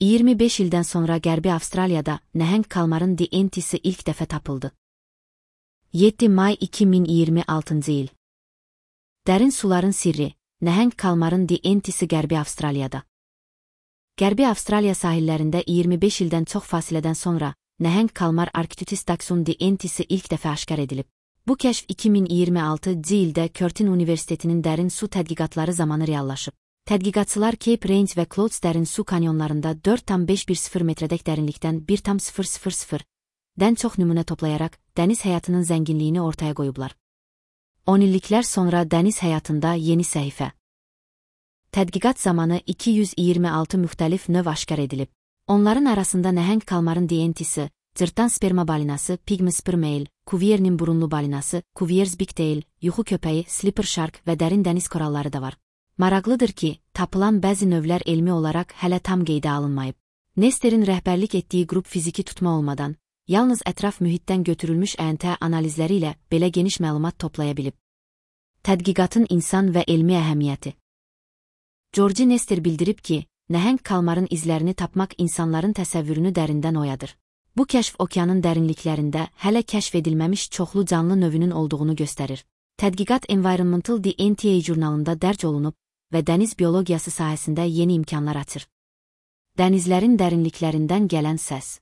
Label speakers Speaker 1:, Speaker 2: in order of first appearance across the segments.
Speaker 1: 25 ildən sonra Qərbi Avstraliyada nəhəng kalmarın DNT-si ilk dəfə tapıldı. 7 may 2026 il. Dərin suların sirri, nəhəng kalmarın DNT-si Qərbi Avstraliyada. Qərbi Avstraliya sahillərində 25 ildən çox fasilədən sonra nəhəng kalmar Arcturius dachs'un DNT-si ilk dəfə aşkar edilib. Bu kəşf 2026 ildə Curtin Universitetinin dərin su tədqiqatları zamanı reallaşıb. Tədqiqatçılar Cape Range və Clouds dərin su kanyonlarında 4,510 metrədək dərinlikdən 1,000-dən çox nümunə toplayaraq dəniz həyatının zənginliyini ortaya qoyublar. 10 illiklər sonra dəniz həyatında yeni səhifə. Tədqiqat zamanı 226 müxtəlif növ aşkar edilib. Onların arasında nəhəng kalmarın DNT-si, cırtdan sperma balinası, pygmy spermail, Cuvier'nin burunlu balinası, Cuvier's bigtail, yuxu köpəyi, slipper shark və dərin dəniz koralları da var. Maraqlıdır ki, tapılan bəzi növlər elmi olaraq hələ tam qeydə alınmayıb. Nester'in rəhbərlik etdiyi qrup fiziki tutma olmadan, yalnız ətraf mühitdən götürülmüş ƏNT analizləri ilə belə geniş məlumat toplaya bilib. Tədqiqatın insan və elmi əhəmiyyəti. George Nester bildirib ki, nəhəng kalmarın izlərini tapmaq insanların təsəvvürünü dərindən oyadır. Bu kəşf okeanın dərinliklərində hələ kəşf edilməmiş çoxlu canlı növünün olduğunu göstərir. Tədqiqat Environmental DNTA jurnalında dərc olunub və dəniz biologiyası sahəsində yeni imkanlar açır. Dənizlərin dərinliklərindən gələn səs.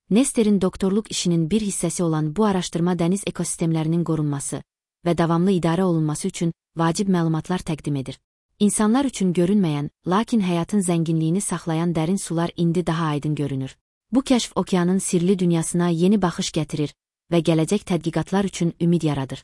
Speaker 1: Nester'in doktorluq işinin bir hissəsi olan bu araşdırma dəniz ekosistemlərinin qorunması və davamlı idarə olunması üçün vacib məlumatlar təqdim edir. İnsanlar üçün görünməyən, lakin həyatın zənginliyini saxlayan dərin sular indi daha aydın görünür. Bu kəşf okeanın sirli dünyasına yeni baxış gətirir və gələcək tədqiqatlar üçün ümid yaradır.